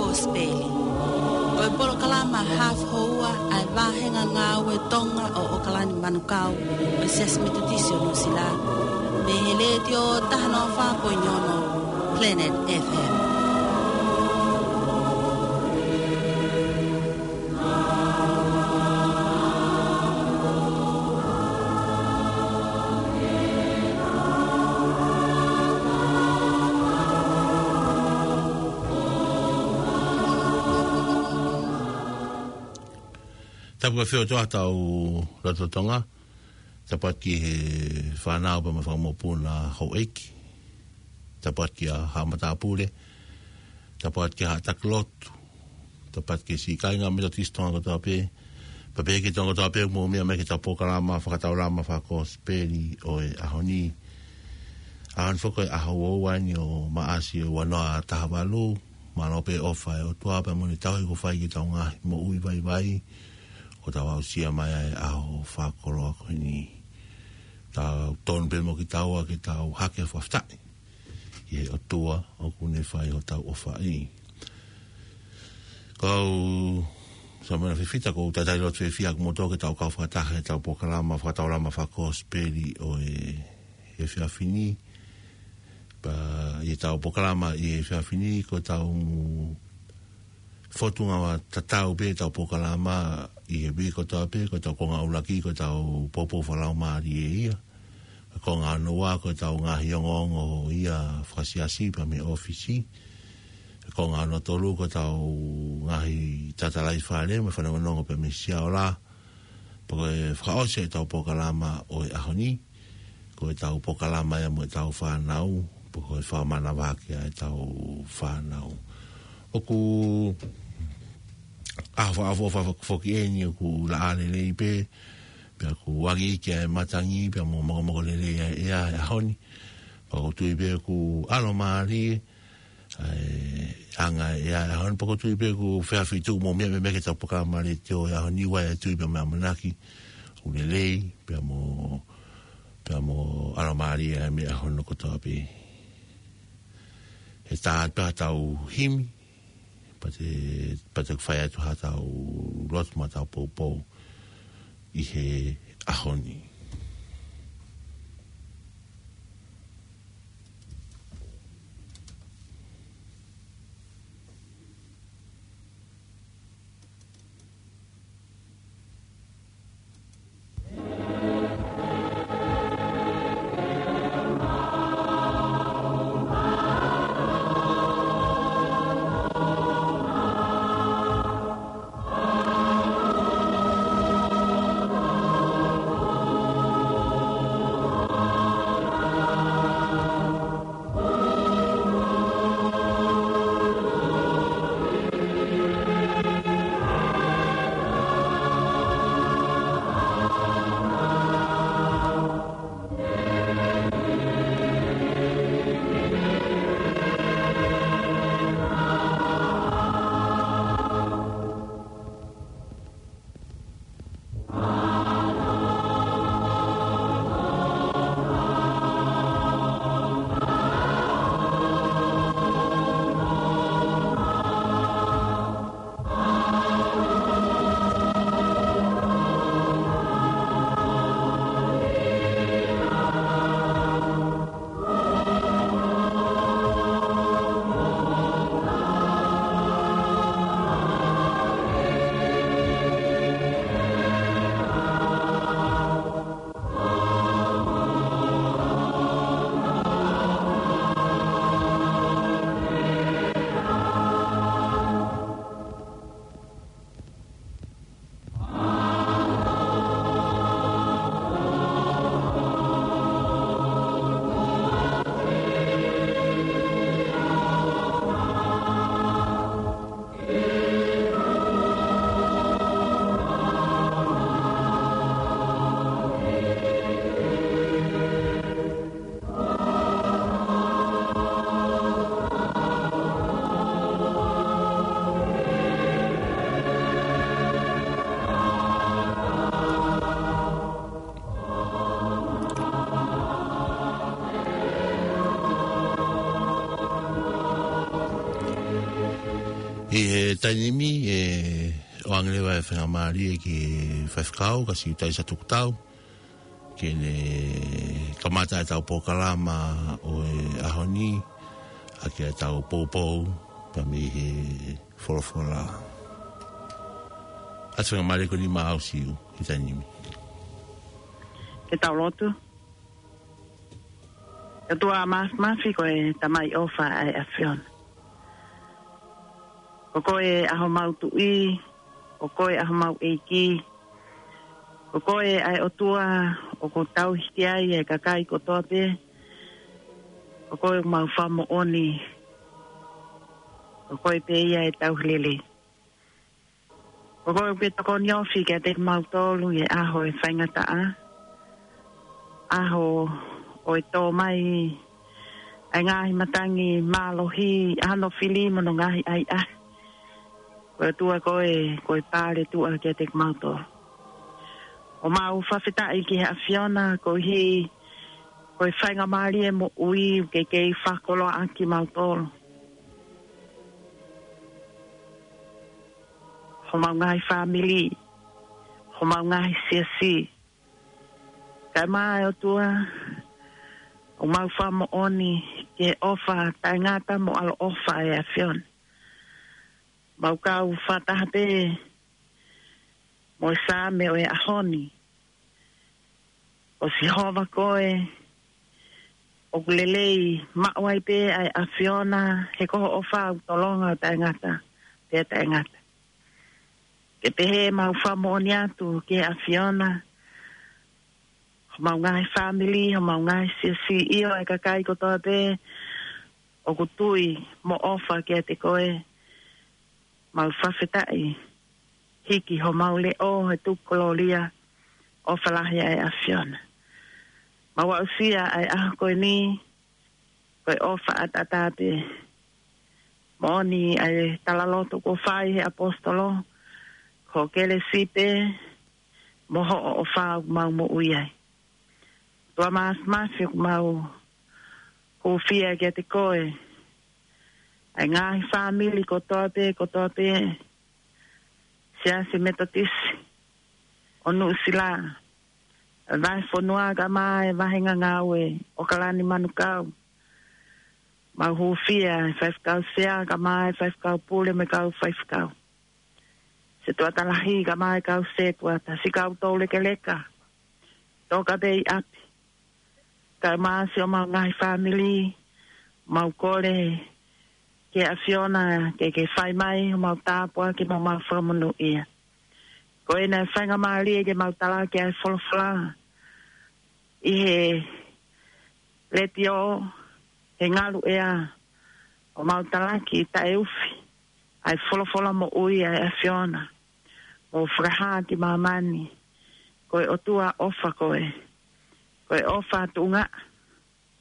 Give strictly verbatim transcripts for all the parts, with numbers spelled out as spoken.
Kosipeli. Ko e polokalama hafu houa ʻa e vāhenga ngāue Tonga ʻo ʻOkalani Manukau ʻo e Siasi Metotisi ʻo Nuʻusila. Mei he Letiō taha noa fā poini ono Planet F M. Tapu ʻa e feohi ʻa hotau loto Tonga. Tapu atu ki he fānau pea mo e fanga mokopuna houʻeiki. Tapu atu ki he haʻa matāpule. Tapu atu ki he haʻa taki lotu. Tapu atu ki he siʻi kāinga Metotisi Tonga kotoa pē. Pea pehē ki he Tonga kotoa pē ʻoku mou meʻa mai ki heʻetau polokalama fakataulama fakakosipeli ʻo e ʻaho ni. ʻAho ni foki ko e ʻaho ua ua eni ʻo Maʻasi ʻo e ua noa taha valu. Mālō pē ʻofa ʻa e ʻOtua pea mo ʻene tauhi kuo fai ki heʻetau ngaahi moʻui vaivai. ʻOku tau aʻusia mai ʻa e ʻaho fakakoloa ko eni. Tau tonu pē mo kitaua ke tau hake fakafetaʻi ki he ʻOtua ʻoku ne fai hotau ʻofa ʻi. Kau Samuela Fifita, ʻoku ou talitali loto fiefia ʻaʻaku mo kimoutolu ke tau kau fakataha heʻetau polokalama fakataulama fakakosipeli ʻo e efiafi ni. Pea ʻi heʻetau polokalama ʻi he efiafi ni, ko ʻetau fōtunga tatau pē ʻetau polokalama ʻi he uike kotoa pē, ko ʻetau konga ʻuluaki, ko ʻetau poupou fakalaumālie ia. Ko e konga hono ua, ko ʻetau ngaahi ongoongo ia fakasiasi pea mei he ʻōfisi. Ko e konga hono tolu, ko ʻetau ngaahi tatalaifale mo e fanongonongo pea mei he siaola. Pea ko e fakaʻosi ʻetau polokalama ʻo e ʻaho ni, ko ʻetau polokalama ia mo ʻetau fānau, pea ko e fakamanavahē ʻa ʻetau fānau. ʻOku ʻaho fakaʻofoʻofa foki eni, ʻoku laʻā lelei pē, pea ʻoku angi ʻa e matangi, pea mo mokomoko lelei ʻa e ʻea he ʻaho ni. Pea ʻoku ou tui pē ʻoku ʻalomālie ʻa e anga ʻo e ʻea he ʻaho ni, pea ʻoku ou tui pē ʻoku feʻafi tuʻu mo mea me meke tapu ka male te o ʻaho ni, ʻoku ou tui pē mo e ʻamanaki ʻoku lelei, pea mo, pea mo ʻalomālie ʻa e meʻa hono kotoa pē. He tā pē ʻetau himi, pea te, pea te fai atu haʻatau lotu mo ʻetau poupou ʻi he ʻaho ni. ʻI he taimi ni, ʻe ʻoange leva e faingamālie ki he faifekau, ka siʻi tai sa tuku tau, ke ne kamata ʻetau polokalama ʻo e ʻaho ni, ʻaki ʻetau poupou, pea mei he folofola. ʻA e faingamālie ko eni maʻau Siu, ʻi he taimi ni. Ke tau lotu. ʻOtua Māfimafi, ko e Tamai ʻofa ʻa e ʻAfiona. Ko koe ʻa homau Tuʻi, ko koe ʻa homau ʻEiki, ko koe ʻa e ʻOtua ʻoku tauhi ki ai e kakai kotoa pē, ko koe ʻoku mau fakamoʻoni, ko koe pē ia ʻe tauhi lelei. Ko koe ʻoku ke tokoni ofi kiate kimautolu ʻi he ʻaho ʻo e faingataʻa, ʻaho ʻo e tō mai ʻa e ngaahi matangi mālohi, ʻa hono fili mo hono ngaahi ʻahiʻahi. Ko e ʻOtua koe, ko e pale tuʻa kiate kimautolu. ʻOku mau fakafetaʻi ki he ʻAfiona, koeʻuhi ko e faingamālie moʻui ʻoku ke kei fakakoloaʻaki kimautolu. Homau ngaahi fāmili, homau ngaahi siasi. Kae ʻumaʻā ʻe ʻOtua, ʻoku mau fakamoʻoni ki he ʻofa taʻengata mo ʻaloʻofa ʻa e ʻAfiona. Mau kau fakataha pē mo e Saame ʻo e ʻaho ni. Ko Sihova koe, ʻoku lelei maʻu ai pē ʻa e ʻAfiona, he ko hoʻo ʻofa ʻoku tolonga ʻo taʻengata pea taʻengata. Ke pehē mau fakamoʻoni atu ki he ʻAfiona, homau ngaahi fāmili, homau ngaahi siasi, ʻio ʻa e kakai kotoa pē ʻoku tui mo ʻofa kiate koe, mau fakafetaʻi, hiki homau leʻo he tuku kolōlia, ʻofa lahi ʻa e ʻAfiona. Mau aʻusia ʻa e ʻaho ko eni, ko e ʻofa ʻataʻatā pē. Moʻoni ʻa e talaloto kuo fai he ʻaposetolo, ko ho kelesi pē, mo hoʻo ʻofa ʻoku mau moʻui ai. ʻOtua Māfimafi, ʻoku mau hūfia kiate koe, ʻa e ngaahi fāmili kotoa pē, kotoa pē, Siasi Metotisi ʻo Nuʻusila, vahefonua kae ʻumaʻā e vahenga ngāue ʻo ʻAokalani Manukau. Mau hūfia e faifekau sea kae ʻumaʻā e faifekau pule mo e kau faifekau. Setuata lahi kae ʻumaʻā e kau setuata, siʻi kau toulekeleka, toka pē ʻi ʻapi. Kae ʻumaʻā siʻomau ngaahi fāmili, mau kole ki he ʻAfiona ke ke fai mai homau tāpuaki mo homau fakamonūʻia. Ko ena e faingamālie ke mau talaki ʻa e folofola ʻi he letiō, he ngalu ʻea, ʻo mau talaki taʻeufi ʻa e folofola moʻui ʻa e ʻAfiona, ʻo fakahā ki māmani, ko e ʻOtua ʻofa koe, ko e ʻofa tuʻunga,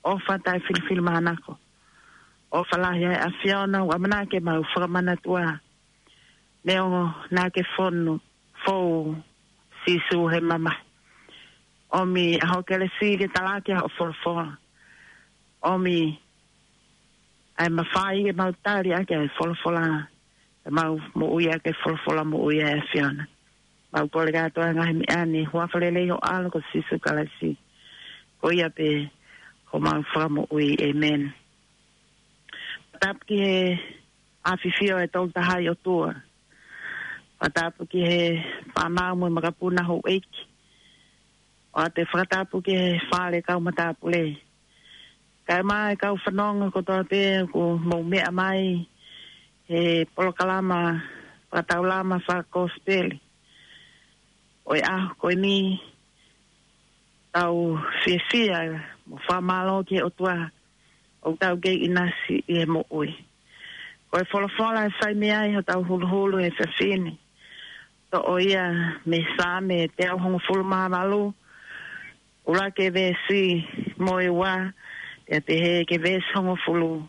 ʻofa taʻefilifilimānako, ʻofa lahi ʻa e ʻAfiona, ʻoku ʻamanaki ke mau fakamanatua, neongo naʻa ke fonu, fou Sīsū he mamahi. ʻOmi ʻa hoʻo kelesi ke talaki ʻa hoʻo folofola. ʻOmi ʻa e mafai ke mau tali ʻaki ʻa e folofola, ke mau moʻui ʻaki e folofola moʻui ʻa e ʻAfiona. Mau kole kātoa e ngaahi meʻa ni, huafa lelei ho ʻAlo ko Sīsū Kalaisi. Ko ia pē homau fakamoʻui. ʻĒmeni. Tapu ki he ʻafifio ʻa e Tolu Tahaʻi ʻOtua. Fakatapu ki he fānau mo e makapuna houʻeiki. ʻOatu e fakatapu ki he fale kau matāpule. Kae ʻumaʻā e kau fanongo kotoa pē ʻoku mou meʻa mai he polokalama fakataulama fakakosipeli ʻo e ʻaho ko eni, tau fiefia mo fakamālō ki he ʻOtua ʻoku tau kei ʻinasi ʻi he moʻui. Ko e folofola ʻe fai mei ai hotau huluhulu he efiafi ni, toʻo ia mei he Saame teau hongofulu mā valu, ʻuluaki veesi mo e ua, pea pehē ki he veesi hongofulu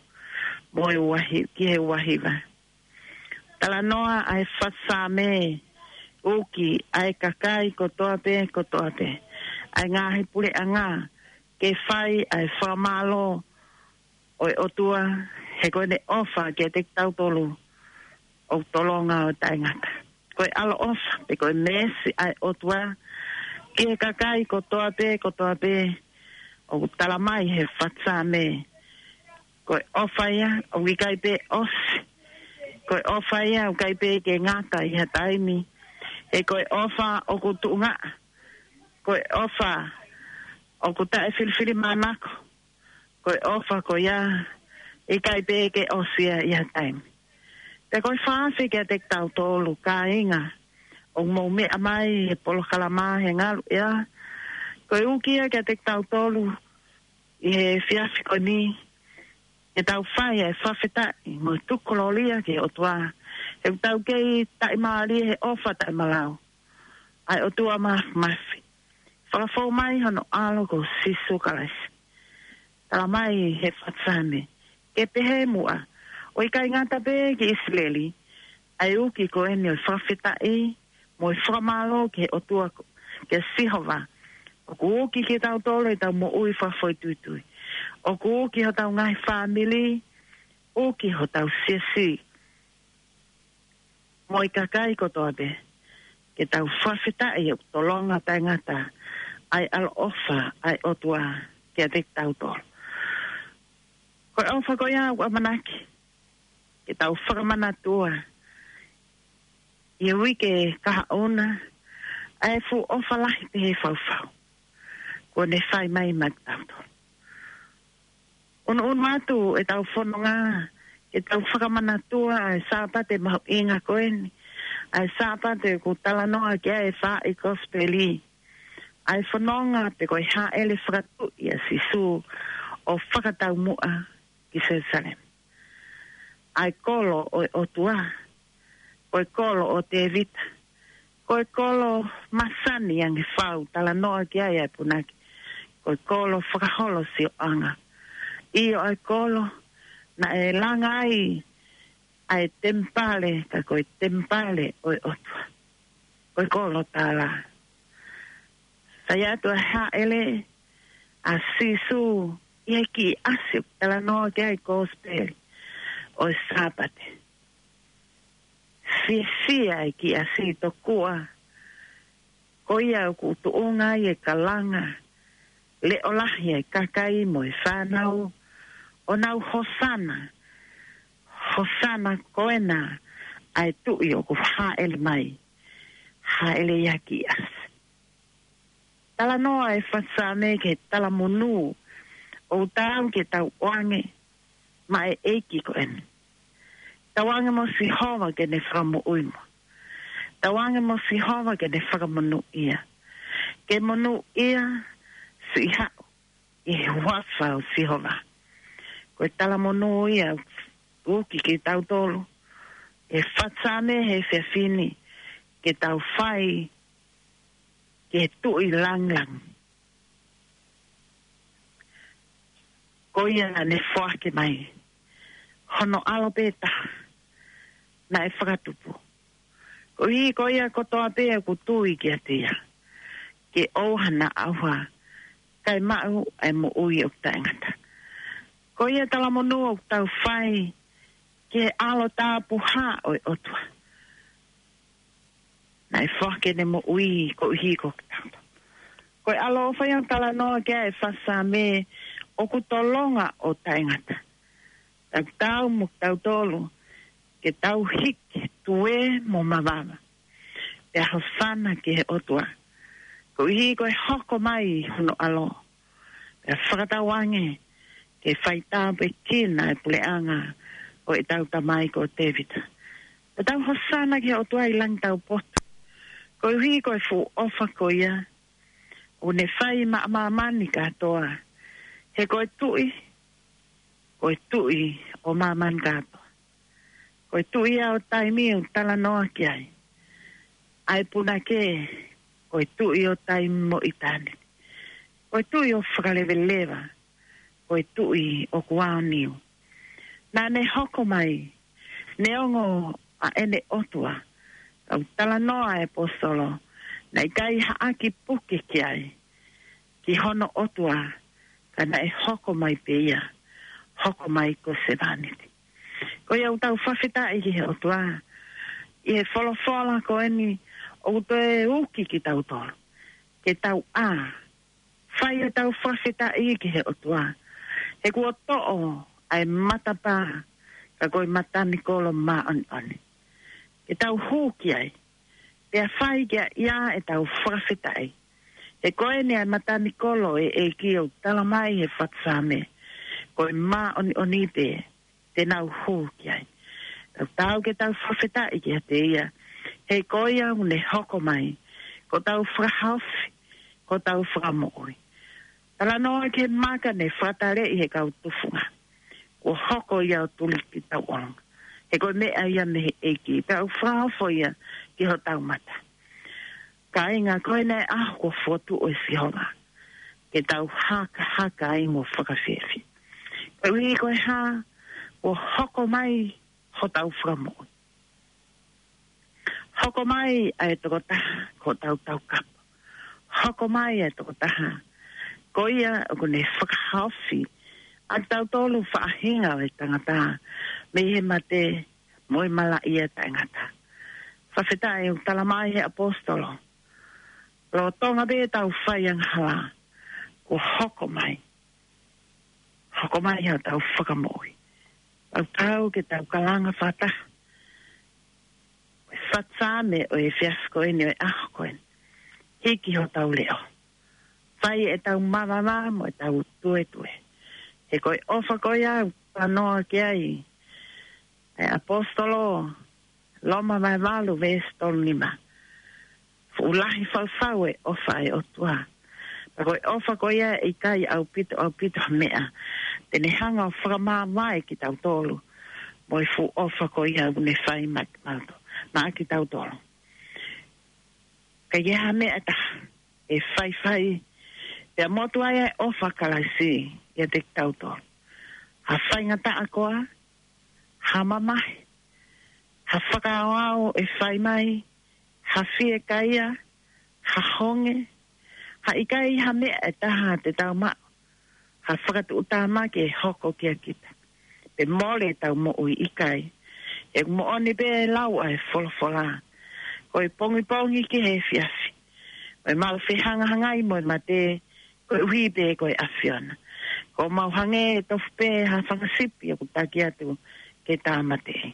mo e ua hi-, ki he ua hiva. Talanoa ʻa e fakasaame, ʻuki ʻa e kakai kotoa pē, kotoa pē, ʻa e ngaahi puleʻanga, ke fai ʻa e fakamālō ʻo e ʻOtua, he ko ʻene ʻofa kiate kitautolu ʻoku tolonga ʻo taʻengata. Ko e ʻaloʻofa, pe ko e meesi ʻa e ʻOtua, ki he kakai kotoa pē, kotoa pē, ʻoku tala mai he fatu Saame. Ko e ʻofa ia, ʻoku ʻikai pē ʻosi. Ko e ʻofa ia, ʻoku ʻikai pē ke ngata ʻi ha taimi. He ko e ʻofa ʻoku tuʻungaʻa. Ko e ʻofa ʻoku taʻefilifilimānako. Ko e ʻofa ko ia, ʻikai pē ke ʻosi ia ʻi ha taimi. Pea ko e fakaafeʻi kiate kitautolu kāinga ʻoku mou meʻa mai he polokalama he ngalu ia. Ko e uki ia kiate kitautolu ʻi he efiafi ko eni, ke tau fai e fakafetaʻi mo e tuku kolōlia ki he ʻOtua. He ʻoku tau kei taʻimālie he ʻofa taʻemalau ʻa e ʻOtua Māfimafi. Fakafou mai hono ʻAlo ko Sīsū Kalaisi. Tala mai he fatu Saame, ke pehē muʻa, ʻo ʻikai ngata pē ki ʻIsileli, ʻa e uki ko eni ʻo e fakafetaʻi mo e fakamālō ki he ʻOtua ko, ki Sihova. ʻOku uki kitautolu ʻi heʻetau moʻui fakafoʻituitui. ʻOku uki hotau ngaahi fāmili, uki hotau siasi mo e kakai kotoa pē, ke tau fakafetaʻi ʻoku tolonga taʻengata ʻa e ʻaloʻofa ʻa e ʻOtua kiate kitautolu. Ko e ʻofa ko ia ʻoku ʻamanaki ke tau fakamanatua ʻi he uike kahaʻu na, ʻa e fuʻu ʻofa lahi pehē fau kuo ne fai mai maʻatautolu. ʻUnuʻunu atu ʻetau fononga, ke tau fakamanatua ʻa e Sāpate mahuʻinga ko eni, ʻa e Sāpate ʻoku talanoa ki ai e faaʻi kosipeli, ʻa e fononga pe ko e hāʻele fakatuʻi ʻa Sīsū ʻo fakataumuʻa ki Selusalema. ʻA e kolo ʻo e ʻOtua, ko e kolo ʻo Tēvita, ko e kolo masani ange fau talanoa ki ai ʻa e punake, ko e kolo fakaholo sioʻanga. ʻIo, ʻa e kolo naʻe langa ai ʻa e temipale, ka ko e temipale ʻo e ʻOtua. Ko e kolo tālā. Sai atu ʻa e hāʻele ʻa Sīsū ʻi he kiʻi ʻasi ʻoku talanoa ki ai e kosipeli ʻo e Sāpate. Fiefia e kiʻi ʻasi tokua ko ia ʻoku tuʻunga ai e kalanga leʻo lahi ʻa e kakai mo e fānau, ʻo nau hosana, hosana ko ena ʻa e tuʻi ʻoku hāʻele mai, hāʻele ia ki ʻasi. Talanoa e fatu Saame ki he talamonū ʻoku taau ke tau ʻoange maʻa e ʻEiki ko eni. Tauange mo Sihova ke ne fakamoʻui mo. Tauange mo Sihova ke ne fakamonūʻia. Ke monūʻia siʻi haʻu ʻi he huafa ʻo Sihova. Ko e talamonū ia ʻoku uki kitautolu ʻe he fatu Saame he efiafi ni, ke tau fai ki he Tuʻi langilangi. Ko ia naʻa ne foaki mai hono ʻAlo pē taha naʻe fakatupu, koeʻuhi ko ia kotoa pē ʻoku tui kiate ia, ke ʻoua naʻa ʻauha, kae maʻu ʻa e moʻui ʻoku taʻengata. Ko ia talamonū ʻoku tau fai ki he ʻAlo Tapuhā ʻo e ʻOtua, naʻe foaki ʻene moʻui koeʻuhi ko kitautolu. Ko e ʻaloʻofa ia ʻoku talanoa ki ai e fatu Saame, ʻoku tolonga ʻo taʻengata. Tau tau mo kitautolu ke tau hiki tuē mo mavava, pea hosana ki he ʻOtua, koeʻuhi ko e hoko mai hono ʻAlo, pea fakatauange ke faitāpuekina e puleʻanga ʻo ʻetau tamai ko Tēvita. Pea tau hosana ki he ʻOtua ʻi langi taupotu, koeʻuhi ko e fuʻu ʻofa ko ia ʻoku ne fai maʻa māmani kātoa. He ko e Tuʻi, ko e Tuʻi ʻo māmani kātoa. Ko e Tuʻi ia ʻo taimi ʻoku talanoa ki ai ʻa e punake, ko e Tuʻi ʻo taimi mo ʻitāniti. Ko e Tuʻi ʻo fakaleveleva, ko e Tuʻi ʻoku aoniu. Naʻa ne hoko mai, neongo ʻa ʻene ʻOtua, ka ʻoku talanoa e ʻaposetolo, naʻe ʻikai ha ʻaki puke ki ai, ki hono ʻOtua, ka naʻe hoko mai pē ia, hoko mai ko e sevāniti. Ko ia ʻoku tau fakafetaʻi ki he ʻOtua, ʻI he folofola ko eni ʻoku toe uki kitautolu ke tau ʻā, fai ʻetau fakafetaʻi ki he ʻOtua, he kuo toʻo ʻa e matapā, ka ko e matanikolo māʻoniʻoni. Ke tau hū ki ai, pea fai ki ai ʻetau fakafetaʻi. He ko eni ʻa e matanikolo ʻo e ʻEiki ʻoku tala mai he fatu Saame, ko e māʻoniʻoni pē te nau hū ki ai. Tau tau ke tau fakafetaʻi kiate ia, he ko ia ʻoku ne hoko mai ko hotau fakahaofi, ko hotau fakamoʻui. Talanoa ki he maka ne fakataleʻi he kau tufunga, kuo hoko ia ʻo tuli ki tauʻolunga. He ko e meʻa ia mei he ʻEiki, pea ʻoku fakaofo ia ki hotau mata. Kāinga, ko eni ʻa e ʻaho kuo fokotuʻu ʻe Sihova ke tau hakahaka ai mo fakafiefia. Koeʻuhi ko e hā? Kuo hoko mai hotau fakamoʻui. Hoko mai ʻa e tokotaha ko hotau taukapo. Hoko mai ʻa e tokotaha ko ia ʻoku ne fakahaofi ʻa kitautolu faʻahinga ʻo e tangata mei he mate mo e malaʻia taʻengata. Fakafetaʻi, ʻoku tala mai he ʻaposetolo, lolotonga pē ʻetau fai angahala, kuo hoko mai, hoko mai hotau fakamoʻui. Tau tau ke tau kalanga fakataha ʻa e fatu Saame ʻo e efiafi ko eni, ʻo e ʻaho ko eni. Hiki hotau leʻo, fai ʻetau mavava mo ʻetau tuetue. He ko e ʻofa ko ia ʻoku talanoa ki ai ʻa e ʻaposetolo, Loma vahe valu veesi tolu nima. Fuʻu lahi fau ʻa e ʻofa ʻa e ʻOtua. Pea ko e ʻofa ko ia ʻe ʻikai ʻaupito, ʻaupito ha meʻa te ne hanga ʻo fakamāvae kitautolu mo e fuʻu ʻofa ko ia ʻoku ne fai maʻa kimautolu, maʻa kitautolu. ʻIkai ha meʻa ʻe taha ʻe faifai pea motu ai ʻa e ʻofa ʻa Kalaisi ʻiate kitautolu. Ha faingataʻa koā, ha mamahi, ha fakaaoao ʻe fai mai, ha fiekaia, ha honge, ha ʻikai ha meʻa ʻe taha te tau maʻu, ha fakatuʻutāmaki ʻe hoko kia kita, pe mole ʻetau moʻui, ʻikai. ʻOku moʻoni pē ʻa e lau ʻa e folofola, ko e pongipongi ki he efiafi, ko e mau fehangahangai mo e mate, koeʻuhi pē ko e ʻAfiona. Kuo mau hangē ʻe tofu pē ha fanga sipi ʻoku taki atu ke tāmateʻi.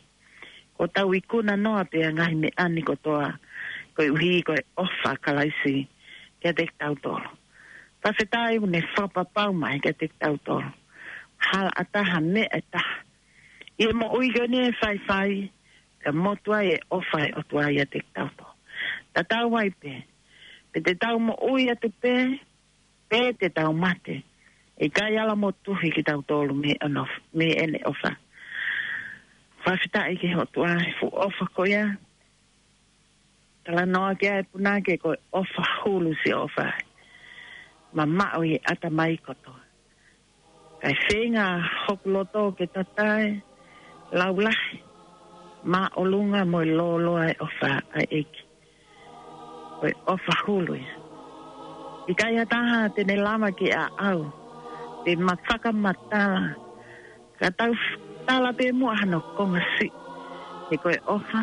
Kuo tau ikuna noa pē ʻa e ngaahi meʻa ni kotoa, koeʻuhi ko e ʻofa ʻa Kalaisi kiate kitautolu. Fakafetaʻi ʻoku ne fakapapau mai kiate kitautolu, hala ʻatā ha meʻa ʻe taha ʻi he moʻui ko eni ʻe faifai pea motu ai ʻa e ʻofa ʻa e ʻOtua ʻiate kitautolu. Tatau ai pē pe te tau moʻui atu pē, pe te tau mate, ʻe ʻikai ala motuhi kitautolu mei ʻene ʻof-, mei ʻene ʻofa. Fakafetaʻi ki he ʻOtua he fuʻu ʻofa ko ia. Talanoa ki ai e punake, ko e ʻofa hulu siʻi ʻofa, mamaʻo ʻi he ʻatamai kotoa. Kae feinga hoku loto ke tatae, laulahi, māʻolunga mo e lōloa ʻa e ʻofa ʻa e ʻEiki. Ko e ʻofa hulu ia. ʻIkai ha taha te ne lava ke aʻau pe ma fakamatala, ka tau f-, tala pē muʻa hano konga siʻi. He ko e ʻofa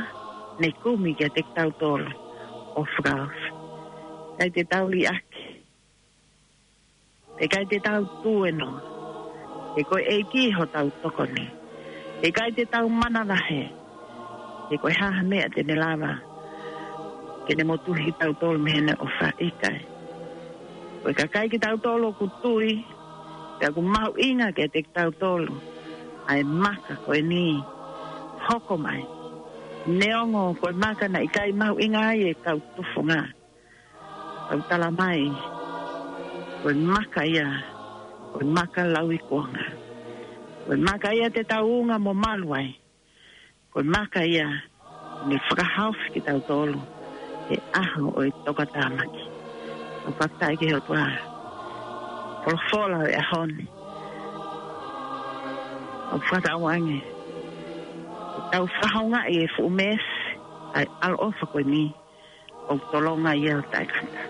ne kumi kiate kitautolu ʻo fakaofi. ʻIkai te tau liʻaki, ʻikai te tau tuenoa. He ko e ʻEiki hotau tokoni. ʻIkai te tau manavahē. He ko e hā ha meʻa te ne lava ke ne motuhi kitautolu mei heʻene ʻofa? ʻIkai. Ko e kakai kitautolu ʻoku tui, pea ʻoku mahuʻinga kiate kitautolu ʻa e maka ko eni hoko mai. Neongo ko e maka naʻe ʻikai mahuʻinga ai e kau tufunga, ʻoku tala mai ko e maka ia, ko e maka lauikuonga. Ko e maka ia te tau unga mo malu ai. Ko e maka ia ne fakahaofi kitautolu he ʻaho ʻo e tokatāmaki. ʻOku fakafetaʻi ki he ʻOtua. Folofola ʻo e ʻaho ni, ʻoku fakatauange ke tau fakahoungaʻi e fuʻu meesi ʻa e ʻaloʻofa ko eni ʻoku tolonga ia ʻo taʻengata.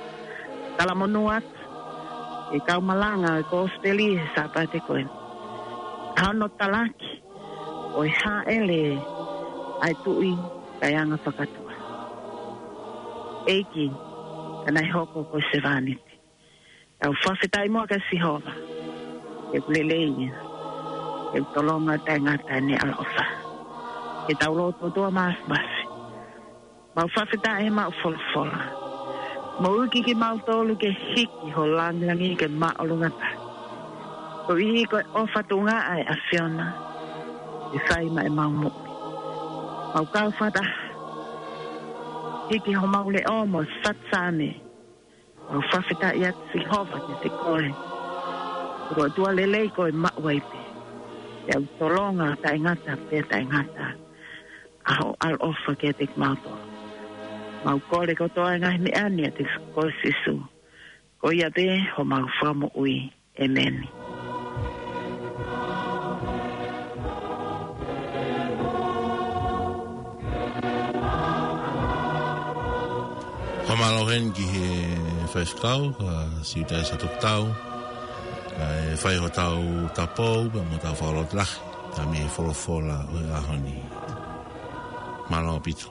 Talamonū atu ki he kau malanga ʻo e kosipeli he Sāpate ko eni, ʻa hono talaki ʻo e hāʻele ʻa e Tuʻi kae anga fakatua. ʻEiki, ka naʻe hoko ko e sevāniti, tau fakafetaʻi muʻa kia Sihova, he ʻoku lelei ia, he ʻoku tolonga taʻengata ʻene ʻaloʻofa. Ke tau lotu ʻOtua Māfimafi. Mau fakafetaʻi he maʻu folofola. Mau ʻuiki kimautolu ke hiki ho langilangi ke māʻolunga taha. Koeʻuhi ko e ʻofa tuʻunga ʻa e ʻAfiona ʻe fai maʻa ʻemau moʻui. Mau kau fakataha, hiki homau leʻo mo e faʻu Saame. Mau fakafetaʻi atu Sihova kiate koe, ko e ʻOtua lelei ko e maʻu ai pē, he ʻoku tolonga taʻengata pea taʻengata ʻa hoʻo ʻaloʻofa kiate kimautolu. Mau kole kotoa e ngaahi meʻa ni ʻiate koe Sīsū. Ko ia pē homau Fakamoʻui. ʻĒmeni. Fakamālō heni ki he faifekau, ka Siutaisa Tokotau, kae fai hotau tapou, pea mo hotau fakalotolahi, ka mei he folofola ʻo e ʻaho ni. Mālō ʻaupito.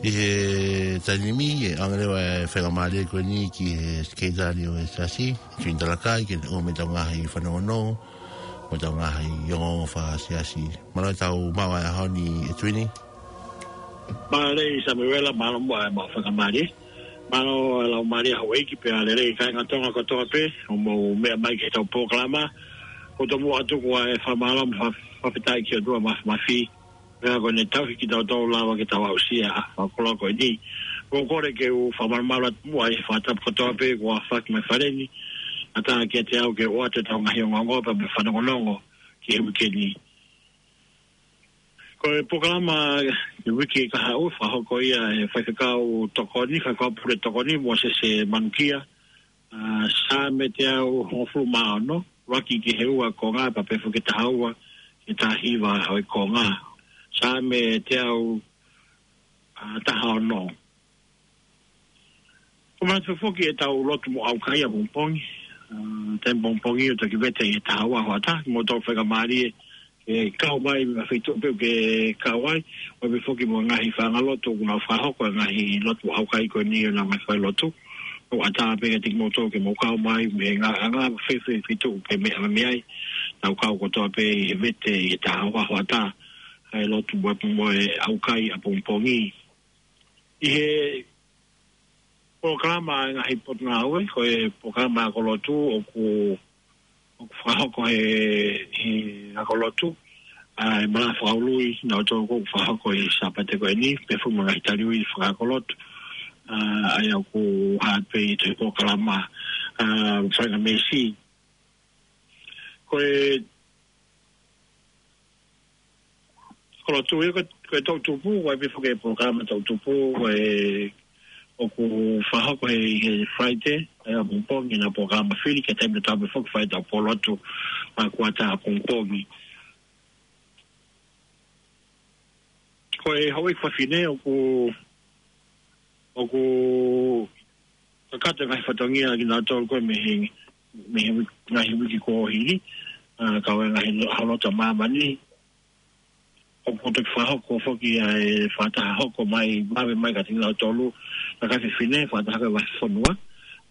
ʻI he taimi ni, ʻe ʻoange leva e faingamālie ko eni ki he sekelitali ʻo e Siasi, Tuini Talakai, ke ne ʻomai ʻetau ngaahi fanongonongo, mo ʻetau ngaahi ongoongo fakasiasi. Mālō e tau maʻu e ʻaho ni ʻe Tuini. Mālō Samuela, mālō muʻa e maʻu faingamālie. Mālō e laumālie houʻeiki pea lelei kāinga Tonga kotoa pē, ʻoku mou meʻa mai ki heʻetau polokalama. ʻOku tomuʻa atu ko e fakamālō mo e fakafetaʻi ki he ʻOtua Māfimafi. Pea ko ʻene tauhi kitautolu lava ke tau aʻusia ʻa e fakakoloa ko eni. ʻOku ou kole ke u fakamalumalu atu muʻa ʻi he fakatapu kotoa pē kuo aofaki mai fale ni. ʻAtā kiate au ke ʻoatu ʻetau ngaahi ongoongo pea mo e fanongonongo ki he uike ni. Ko e polokalama ki he uike kahaʻu, fakahoko ia ʻe he faifekau tokoni, faifekau pule tokoni, Mōsese Manukia. ʻA, Saame teau hongofulu mā ono, ʻuluaki ki he ua konga, pea pehē foki ki he taha ua, ki he taha hiva ʻo e konga. Saame teau, ʻa, taha ono. Ko e manatu foki ʻetau lotu mo ʻaukai ʻapongipongi. ʻA, taimi ʻapongipongi ʻo taki vete ʻi he taha ua hoʻatā, mo tau faingamālie ke kau mai mei ha feituʻu pē ʻoku ke kau ai, ʻo pehē foki mo e ngaahi fanga lotu ʻoku nau fakahoko e ngaahi lotu ʻaukai ko eni ʻo nau ngaahi fai lotu. ʻOku ʻatā pē kiate kimoutolu ke mou kau mai mei he ngaahi anga fēfē feituʻu ʻoku ke meʻa mai ai. Tau kau kotoa pē ʻi he vete ʻi he taha ua hoʻatā, ʻa e lotu mo e, mo e ʻaukai ʻapongipongi. ʻI he polokalama ʻa e ngaahi potungāue, ko e polokalama ako lotu ʻoku, ʻoku fakahoko he, he ako lotu, ʻa e malanga fakaului, naʻa tau ʻoku fakahoko ʻi he Sāpate ko eni, pehē foki mo e ngaahi tali ui fakaako lotu, ʻa, ʻa ia ʻoku hā pē ʻi he polokalama, ʻa, Faingamālie. Ko e, ko e lotu ia ko, ko e toʻutupu, ʻoku ʻi ai pē foki e polokalama toʻutupu, ko e ʻoku fakahoko he, he Friday, ʻa ia ʻapongipongi, ʻena polokalama fili, ki he taimi tatau pē foki fai ʻetau pōlotu, ʻa, kuata ʻapongipongi. Ko e houʻeiki fafine ʻoku, ʻoku kakato e ngaahi fatongia kinautolu ko ē mei he, mei he ngaahi uike kuo hili, ʻa, kau e ngaahi lo-, ha lotu ʻa māmani. ʻOku toki fakahoko foki ʻa e fakataha hoko mai, vave mai kiate kinautolu, kakai fefine, fakataha ko e vahefonua.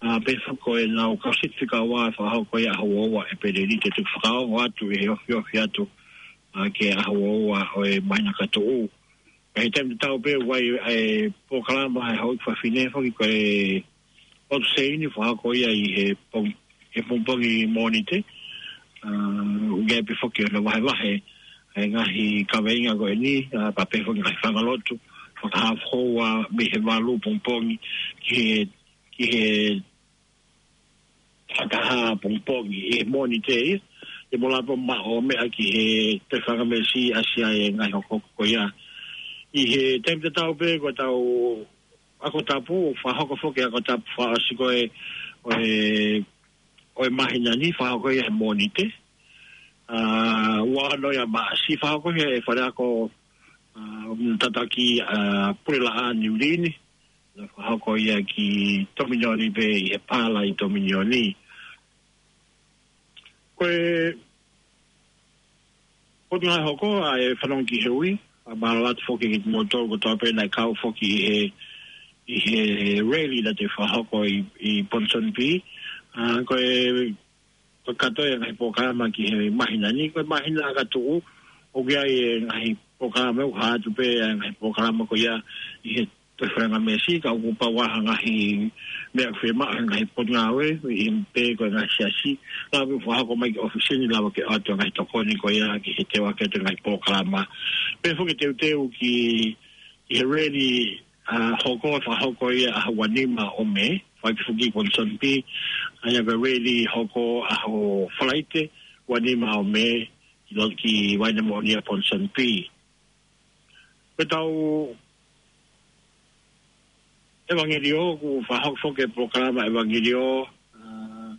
ʻA, pehē foki ko ʻenau kau siti fika ua fakahoko ia ʻaho ua ʻEpeleli, te u toki fakaongo atu ʻi he ofiofi atu, ʻa, ki he ʻaho ua ʻo e māhina ka tuʻu. ʻI he taimi tatau pē ʻoku ʻi ai ʻa e polokalama ʻa e houʻeiki fafine foki ko e ʻOtu Seini fakahoko ia ʻi he pong-, he pongipongi Mōnite. ʻA, ʻoku ʻi ai pē foki hono vahevahe ʻa e ngaahi kaveinga ko eni, ʻa, pea pehē foki ngaahi fanga lotu, fakahā foki ʻa mei he valu pongipongi ki he, ki he taha pongipongi ʻi he Mōnite ia. Te mou lava pē ʻo maʻu meʻa ki he Toe Fakameesi ʻa e ngaahi hokohoko ko ia. ʻI he taimi tatau pē ko ʻetau ako tapu, fakahoko foki ako tapu fakaʻosi ko e, ʻo e, ʻo e māhina ni, fakahoko ia he Mōnite. ʻA, ua ono ia Maʻasi, fakahoko ia he faleako, ʻa, tataki, ʻa, Pulelaʻā Niu Lini. Naʻe fakahoko ia ki Tominioni pē ʻi he Pala ʻi Tominioni. Ko e, ko e ngaahi hoko ʻa e fanongo ki he ui, ʻa, mālō atu foki kimoutolu kotoa pē naʻe kau foki ʻi he, ʻi he rally naʻe fakahoko ʻi, ʻi Ponsonby. ʻA, ko e, ko e kātoa e ngaahi polokalama ki he māhina ni, ko e māhina ka tuʻu, ʻoku ʻi ai e ngaahi polokalama ʻoku hā atu pē, ʻa e ngaahi polokalama ko ia ʻi he Toe Fakameesi, ka ʻoku pau ʻa e ngaahi meʻa ʻoku fiemaʻu he ngaahi potungāue, ʻi he pē ko e ngaahi siasi, lava ke fakahoko mai ki ʻōfisi ni, lava ke ʻoatu e ngaahi tokoni ko ia ki he teuaki atu e ngaahi polokalama. Pehē foki teuteu ki, ki he rally, ʻa, hoko, fakahoko ia ʻaho ua nima ʻo Mē, fai pē foki Ponsonby, ʻa ia ko e rally hoko ʻaho Falaite, ua nima ʻo Mē, ki lo-, ki Vaine Moʻoni ʻa Ponsonby. Ko ʻetau ʻevangeliō, ʻoku fakahoko foki e polokalama ʻevangeliō, ʻa,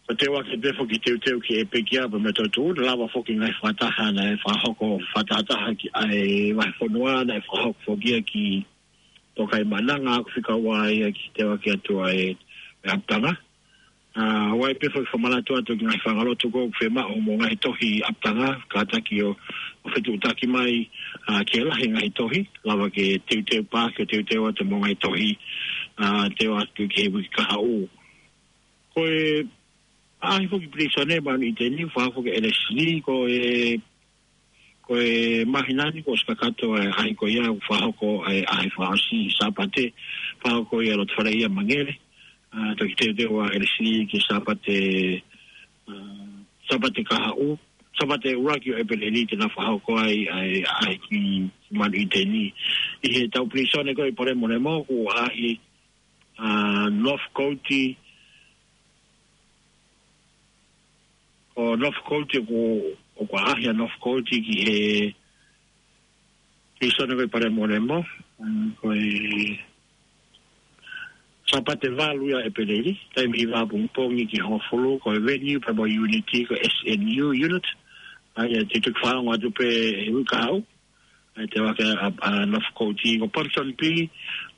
ko e teuaki pē foki teuteu ki he pekia pea mo e toetuʻu, lava foki ngaahi fakataha naʻe fakahoko fakatahataha ki ai vahefonua, naʻe fakahoko foki ia ki Tokaimaʻananga, ʻoku fika ua ia ki he teuaki atu ʻa e, ʻa e ʻapitanga. ʻA, ʻoku ʻi ai pē foki fakamanatu atu ki he ngaahi fanga lotu ʻoku fiemaʻu mo e ngaahi tohi ʻapitanga, kātaki ʻo, ʻo fetuʻutaki mai, ʻa, ke lahi e ngaahi tohi, lava ke teuteu pē, ke teuteu atu mo e ngaahi tohi, ʻa, teu atu ki he uike kahaʻu. Ko e ʻaʻahi foki pilīsone Maʻaneʻi ni, fakahoko foki ʻe Leslie, ko e, ko e māhina ni kuo ʻosi kakato e ʻaʻahi ko ia, fakahoko e ʻaʻahi fakaʻosi Sāpate, fakahoko ia ʻi loto fale ia Mangere. ʻA, toki teuteu ʻa Leslie ki he Sāpate, ʻa, Sāpate kahaʻu, Sāpate ʻuluaki ʻo ʻEpeleli te nau fakahoko ai ʻa e ʻaʻahi ki, ki Maʻaneʻi ni. ʻI heʻetau pilīsone ko ē ʻi Palemolemo, ko e ʻaʻahi, ʻa, Northcote, ko Northcote ʻoku, ʻoku ʻaʻahi ʻa Northcote ki he pilīsone ko ē ʻi Palemolemo, ʻa, ko e Sāpate valu ia ʻo ʻEpeleli, taimi hiva pongipongi ki he hongofulu, ko e venue pea mo e unit ko e S N U unit, ʻa ia te u toki fakaongo atu pē he uike kahaʻu, ʻa e teuaki ʻa, ʻa Northcote. Ko Ponsonby,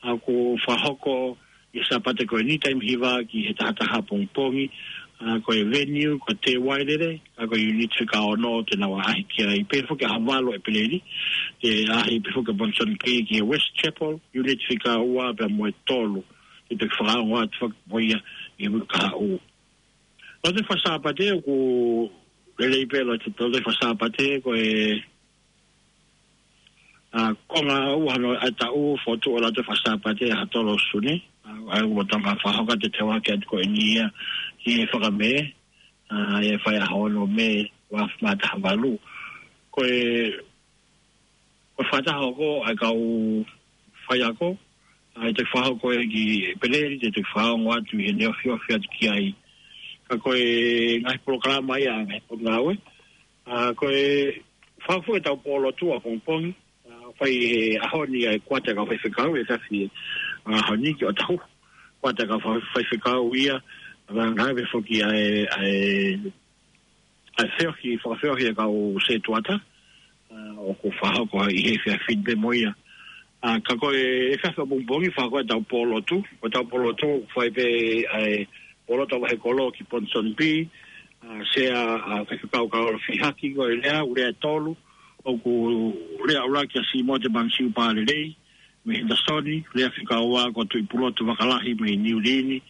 ʻa, ʻoku fakahoko ʻi he Sāpate ko eni taimi hiva ki he taha taha pongipongi, ʻa, ko e venue, ko Te Wailele, ʻa, ko e unit fika ono te nau ʻaʻahi ki ai. Pehē foki ʻaho valu ʻo ʻEpeleli, ʻe ʻaʻahi pē foki ʻa Ponsonby ki he West Chapel, unit fika ua pea mo e tolu, te u toki fakaongo atu foki mo ia ʻi he uike kahaʻu. Lotu Fakasāpate ʻoku lelei pē lotu, Lotu Fakasāpate ko e, ʻa, konga ua hono ʻaho ʻo e taʻu, fokotuʻu ʻa e Lotu Fakasāpate ʻaho tolu ʻo Sune. ʻA, ʻa ia ʻoku tau fakahoko atu e teuaki atu ko eni ia ki he Fakamē, ʻa, ʻe fai ʻaho ono Mē, ua afe mā taha valu. Ko e, ko e fakataha hoko ʻa e kau faiako, ʻa, ʻe toki fakahoko ia ki ʻEpeleli, te u toki fakaongo atu ʻi heʻene ofiofi atu ki ai. Ka ko e ngaahi polokalama ia ʻa e ngaahi potungāue, ʻa, ko e fakahoko ʻetau pōlotu ʻapongipongi, ʻa, fai he ʻaho ni ʻa e kuata ʻa e kau faifekau, ʻe tafi, ʻa, ʻaho ni ki ʻOtahuhu. Kuata ʻa e kau fai-, faifekau ia, ʻa, ngāue foki ʻa e, ʻa e, ʻa e feohi, fakafeohi ʻa e kau sētuata, ʻa, ʻoku fakahoko ʻi he efiafi ni pē mo ia. ʻA, ka ko e efiafi ʻapongipongi fakahoko ʻetau pōlotu, ko ʻetau pōlotu, fai pē ʻa e pōlotu ʻa e vahe kolo ki Ponsonby, ʻa, Sea, ʻa, Faifekau Kaola Fihaki, ko e lea, ʻū lea ʻe tolu, ʻoku lea ʻuluaki ʻa Simote Mangasiu Palelei, mei Henderson, lea fika ua ko Tuʻipulotu Vakalahi mei Niu Lini,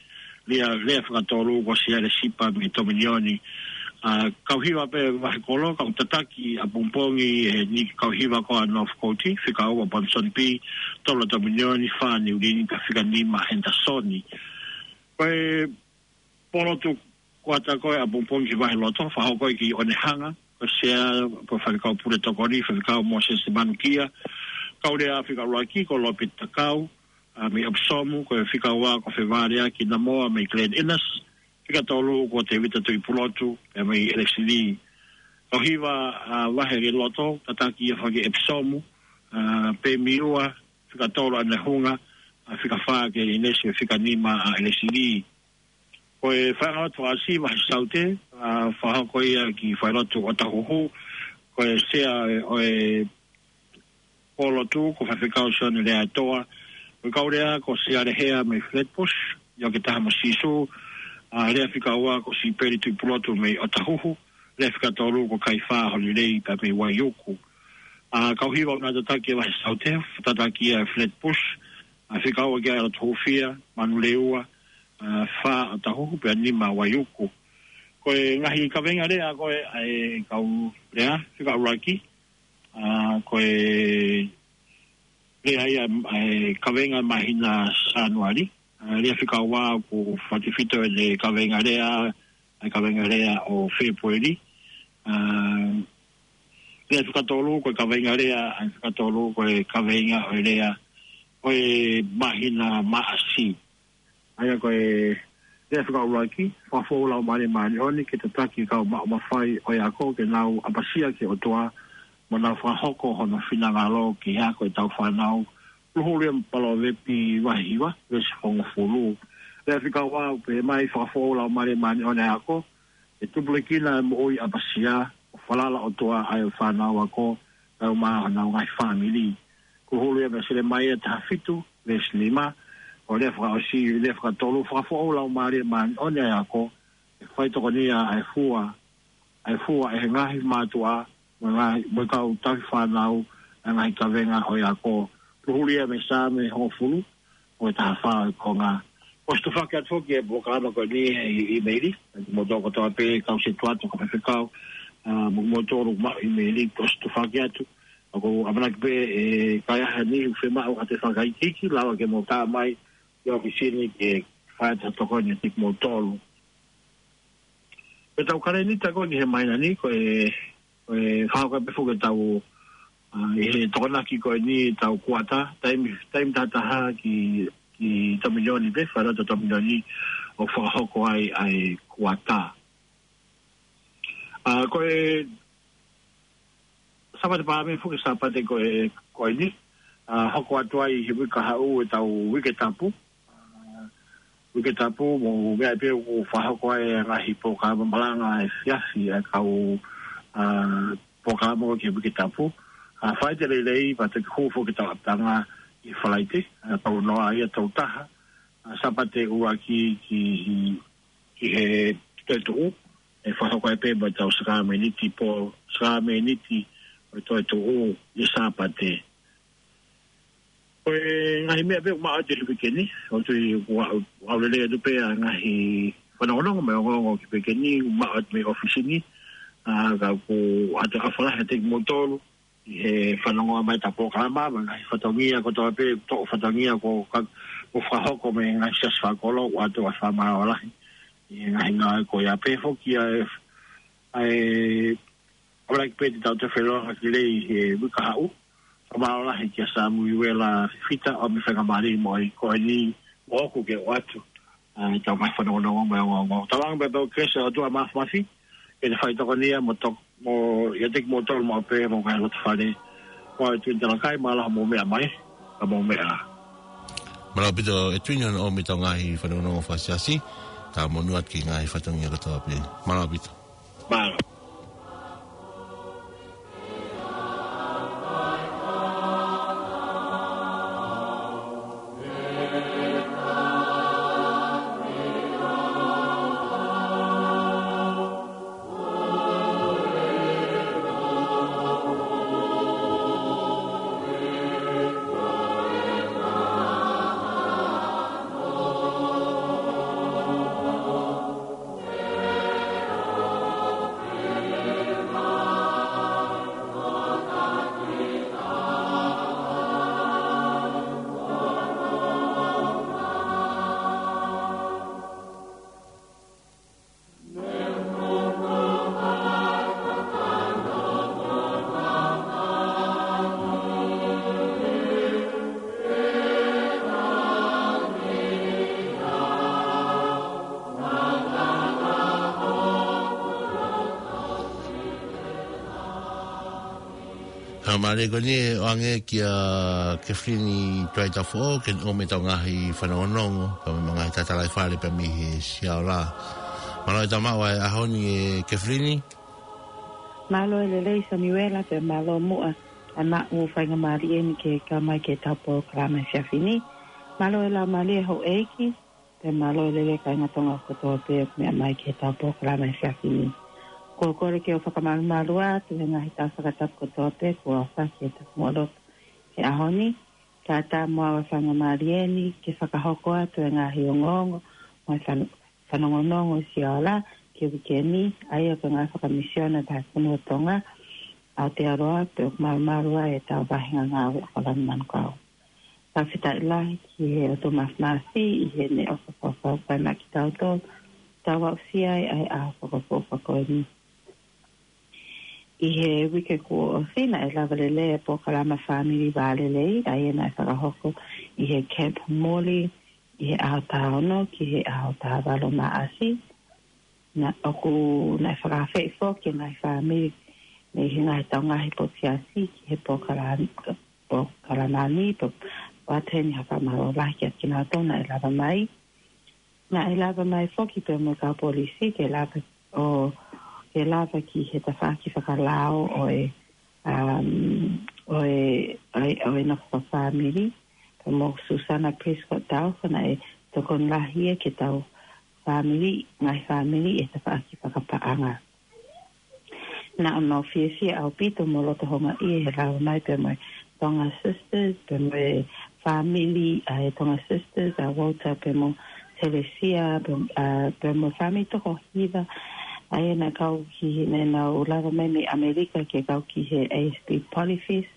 lea, lea fika tolu ko Siale Sipa mei Tominioni. ʻA, kau hiva pē vahe kolo, kau tataki ʻapongipongi ʻe he niʻihi kau hiva ko ē ʻa North Coast, fika ua Bronson Bay, tolu Tominioni, fā Niu Lini, pea fika nima Henderson. Ko e pōlotu kuata ko ē ʻapongipongi ki he vahe loto, fakahoko ia ki Onehunga, ko Sea, ko Faifekau Pule Tokoni, Faifekau Moses Manukia, kau lea fika ʻuluaki ko Lopeti Takau, ʻa, mei Epsom, ko e fika ua ko Fevaleaki Namoa mei Glen Innes, fika tolu ko Tevita Tuʻipulotu, ʻa, mei Elesili. Kau hiva, ʻa, vahe loto, tataki ia foki ʻe Epsom, ʻa, Pemiua, fika tolu Onehunga, ʻa, fika fā Glen Innes, fika nima ʻa Elesili. Ko e faiʻanga lotu fakaʻosi vahe Saute, ʻa, fakahoko ia ki he failotu ʻOtahuhu, ko e Sea ʻo e pōlotu, ko Faifekau Sione Leaʻaetoa, ko e kau lea ko Siale Hea mei Flatbush, ʻIo ke Taha mo Sīsū, ʻa, lea fika ua ko Sipeli Tuʻipulotu mei ʻOtahuhu, lea fika tolu ko Kaifā Holilei pea mei Vaiuku. ʻA, kau hiva ʻoku nau tataki ʻa e vahe Saute, tataki ia ʻe Flatbush, ʻa, fika ua ki ai ʻa Lotohufia, Manurewa, ʻa, fā ʻOtahuhu pea nima Vaiuku. Ko e ngaahi kaveinga lea ko ē ʻa e kau lea, fika ʻuluaki, ʻa, ko e lea ia ʻa e kaveinga māhina Sānuali, ʻa, lea fika ua ʻoku fakatefito ʻene kaveinga lea, ʻa e kaveinga lea ʻo Fēpueli, ʻa, lea fika tolu ko e kaveinga lea, ʻa e fika tolu ko e kaveinga ʻo e lea ʻo e māhina Maʻasi. ʻA ia ko e lea fika ʻuluaki, fakafoʻou Laumālie Māʻoniʻoni ke tataki kau maʻu mafai ʻo e ako ke nau ʻapasia ki he ʻOtua, mo nau fakahoko hono finangalo ki he ako ʻetau fānau, huluhulu ia mei Palōvepi vahe hiva, veesi hongofulu. Lea fika ua ʻoku pehē mai, fakafoʻou Laumālie Māʻoniʻoni ʻa e ako, ʻe tupulekina e moʻui ʻapasia, ʻo falala ʻOtua ai ʻa e fānau ako, kae ʻumaʻā honau ngaahi fāmili. Huluhulu ia mei Selemaia taha fitu, veesi nima, ʻo lea fakaʻosi, lea fika tolu, fakafoʻou Laumālie Māʻoniʻoni ʻa e ako, ʻe faitokonia ʻa e fua, ʻa e fua ʻe he ngaahi mātuʻa, mo e ngaahi, mo e kau tauhi fānau, ʻa e ngaahi kaveinga ʻo e ako. Huluhulu ia mei Saame hongofulu, ʻo e taha fā ʻo e konga. ʻOsi tufaki atu foki e polokalama ko eni ʻi he ʻīmeili, ʻa kimoutolu kotoa pē kau setuata, kau faifekau, ʻa, mo kimoutolu maʻu ʻīmeili, ʻosi tufaki atu. ʻOku ou ʻamanaki pē ʻe ʻi ai ha niʻihi ʻoku fiemaʻu ha toe fakaikiiki, lava ke mou tā mai ki he ʻōfisi ni ke fai atu ha tokoni kiate kimoutolu. Ko ʻetau kalēnita ko eni he māhina ni, ko e, ko e fakahoko pē foki ʻetau, ʻa, ʻi he Tokonaki ko eni ʻetau kuata, taimi, taimi tahataha ki, ki Tominioni pē, failotu Tominioni ʻoku fakahoko ai ʻa e kuata. ʻA, ko e Sāpate Paame foki, Sāpate ko e, ko eni, ʻa, hoko atu ai he uike kahaʻu ʻetau uike tapu. ʻA, uike tapu, mou meaʻi pē ʻoku fakahoko ai e ngaahi polokalama malanga efiafi ʻa e kau, ʻa, polokalama ki he uike tapu. ʻA, Falaite Lelei, pea toki hū foki ʻetau ʻapitanga ʻi Falaite, ʻa, tolu noa ia tolu taha. ʻA, Sāpate ʻuluaki ki, ki, ki he toetuʻu, ʻe fakahoko ai pē mo ʻetau sakalameniti pō, sakalameniti ʻo e toetuʻu ʻi he Sāpate. Ko e ngaahi meʻa pē ʻoku maʻu atu he uike ni, ʻoku ou tui ʻoku ʻau, ʻau lelei atu pē ʻa e ngaahi fanongonongo mo e ongoongo ki he uike ni, ʻoku maʻu atu mei he ʻōfisi ni, ʻa, ka ʻoku ʻoatu e ʻofa lahi kiate kimoutolu, ʻi he fanongo mai ʻetau polokalama, mo e ngaahi fatongia kotoa pē, toʻu fatongia ko ka, ko fakahoko mei he ngaahi siasi fakakolo, ʻoatu e fakamālō lahi. ʻI he ngaahi ngāue ko ia pē foki ʻa e, ʻa e, ʻamanaki pē te tau toe feʻiloaki lelei he uike kahaʻu. Fakamālō lahi kia Samuela Fifita ʻo e faingamālie mo e ko eni ʻoku ke ʻoatu ʻa ʻetau ngaahi fanongonongo mo e ongoongo. Tauange pē ʻetau kelesi ʻa e ʻOtua Māfimafi, ke ne faitokonia mo tok-, mo ʻiate kimoutolu maʻu pē mo e ngaahi loto fale. Ko e Tuini Talakai, mālō hoʻomou meʻa mai, ka mou meʻa ā. Mālō ʻaupito e Tuini hono ʻomi ʻetau ngaahi fanongonongo fakasiasi, tau monū atu ki he ngaahi fatongia kotoa pē. Mālō ʻaupito. Mālō. Mālō e ko eni ʻoange kia Kefilini Tuaitafoʻou, ke ʻomai ʻetau ngaahi fanongonongo, pea mo e ngaahi tatalaifale pea mei he Siaola. Mālō e tama ʻo e ʻaho ni ʻe Kefilini. Mālō e lelei Samiuela, pea mālō muʻa ʻa e maʻu faingamālie ni ke kau mai ki heʻetau polokalama he efiafi ni. Mālō e laumālie houʻeiki, pea mālō e lelei kāinga Tonga kotoa pē ʻoku meʻa mai ki heʻetau polokalama he efiafi ni. Ko e kole ke u fakamalumalu atu he ngaahi tau fakatapu kotoa pē kuo ʻofa ki heʻetau muʻa lotu he ʻaho ni, kae ʻatā mo au e faingamālie ni ke fakahoko atu e ngaahi ongoongo mo e fano-, fanongonongo ʻa Siaola ki he uike ni, ʻa ia ko e ngaahi fakamisiona ʻa e Fonua Tonga, Aotearoa, pea ʻoku malumalu ai ʻetau vahenga ngāue ʻa Kolani Manukau. Fakafetaʻi lahi ki he ʻOtua Māfimafi ʻi heʻene ʻofa fakafaifekau maʻa kitautolu, tau aʻusia ai ʻa e ʻaho fakaʻofoʻofa ko eni. ʻI he uike kuo ʻosi naʻe lava lelei e polokalama Fāmili Vālelei, ʻa ia naʻe fakahoko ʻi he Camp Morley, ʻi he ʻaho taha ono ki he ʻaho taha valu Maʻasi. Naʻe ʻoku, naʻe fakaafeʻi foki e ngaahi fāmili mei he ngaahi tau ngaahi potu siasi ki he polokalama, polokalama ni, pea ʻoatu heni ha fakamālō lahi kiate kinautolu naʻe lava mai. Naʻe lava mai foki pea mo e kau polisi ke lava ʻo, ke lava ki he tafaʻaki fakalao ʻo e, um, ʻo e, ʻo e, ʻo e nofo fakafāmili, pea mo Susana Prescott Taufa naʻe tokoni lahi ia ki heʻetau fāmili, ngaahi fāmili ʻi he tafaʻaki fakapaʻanga. Naʻa mau fiefia ʻaupito mo loto houngaʻia he lava mai pea mo e Tonga Sisters, pea mo e fāmili ʻa e Tonga Sisters, ʻa Walter pea mo Telesia, pea, ʻa, pea mo e fāmili toko hiva, ʻa ia naʻe kau ki, naʻa nau lava mai mei ʻAmelika ke kau ki he A S B Polyfest.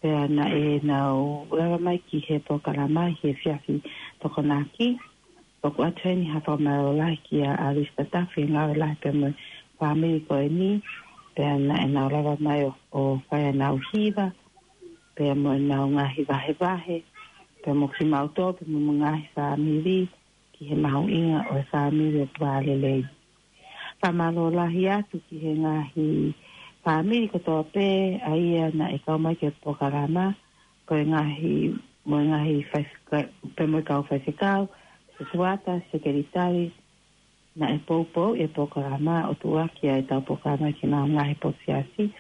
Pea naʻa nau lava mai ki he polokalama he efiafi Tokonaki. ʻOku ʻoatu heni ha fakamālō lahi kia ʻAlista Tafi, ngāue lahi pea mo e fāmili ko eni. Pea naʻa nau lava mai ʻo, ʻo fai ʻenau hiva, pea mo ʻenau ngaahi vahevahe, pea mo kimautolu, pea mo e ngaahi fāmili, ki he mahuʻinga ʻo e fāmili ʻoku vālelei. Fakamālō lahi atu ki he ngaahi fāmili kotoa pē ʻa ia naʻe kau mai ki he polokalama, ko e ngaahi, mo e ngaahi faifeka-, pea mo e kau faifekau, setuata, sekelitali, naʻe poupou e polokalama ʻo tuʻuaki ʻa ʻetau polokalama ki he ngaahi potu siasi.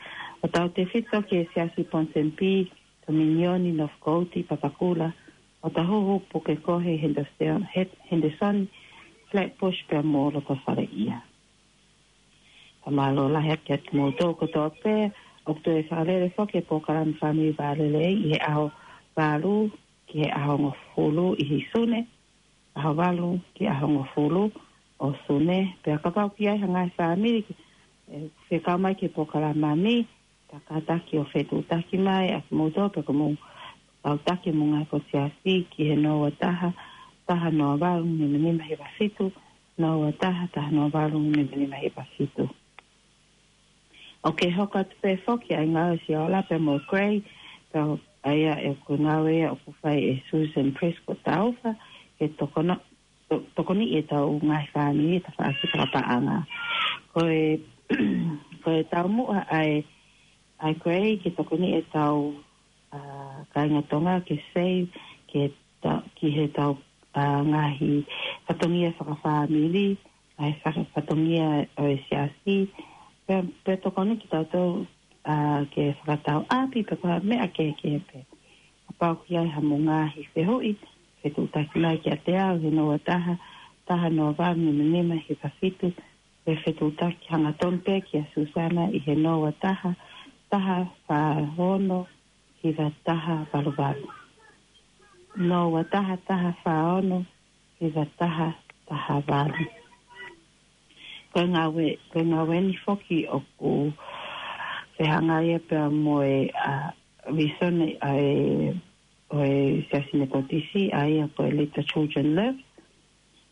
ʻO tautefito ki he Siasi Ponsonby, Tominioni, Northcote, Papakura, ʻOtahuhu, Pukekohe, Henderson, Het-, Henderson, Flatbush pea mo Lotofaleʻia. Fakamālō lahi atu kiate kimoutolu kotoa pē, ʻoku toe fakalele foki e polokalama Fāmili Vālelei ʻi he ʻaho valu ki he ʻaho hongofulu ʻi he Sune, ʻaho valu ki he ʻaho hongofulu ʻo Sune, pea kapau ʻoku ʻi ai ha ngaahi fāmili ʻe fekau mai ki he polokalama ni, kātaki ʻo fetuʻutaki mai ʻa kimoutolu pea ko hoʻomou kau taki mo e ngaahi potu siasi ki he noa ua taha, taha noa valu, nima nima hiva fitu, noa ua taha, taha noa valu, nima nima hiva fitu. ʻOku hoko atu pē foki ʻa e ngāue ʻa Siaola pea mo Gray, pea ʻa ia ʻoku ngāue ia ʻoku fai ʻe Susan Prescott Taufa, ke tokono-, to-, tokoniʻi ʻetau ngaahi fāmili he tafaʻaki fakapaʻanga. Ko e, ko e taumuʻa ʻa e, ʻa e Gray ke tokoniʻi ʻetau, ʻa, kāinga Tonga ke save, ke ta-, ki heʻetau, ʻa, ngaahi fatongia fakafāmili, ʻa e faka-, fatongia ʻo e siasi, pea, pea tokoni kitautolu, ʻa, ke fakatau ʻapi pe ko ha meʻa kehekehe pē. Kapau ʻoku ʻi ai haʻamou ngaahi fehuʻi, fetuʻutaki mai kiate au he noa ua taha, taha noa valu, nima nima hiva fitu, pe fetuʻutaki hangatonu pē kia Susana ʻi he noa ua taha, taha fā ono, hiva taha valu valu. Noa ua taha, taha fā ono, hiva taha, taha valu. Ko e ngāue, ko e ngāue ni foki ʻoku fehangahangai pea mo e, ʻa, visone ʻa e, ʻo e Siasi Metotisi, ʻa ia ko e Let the Children Live.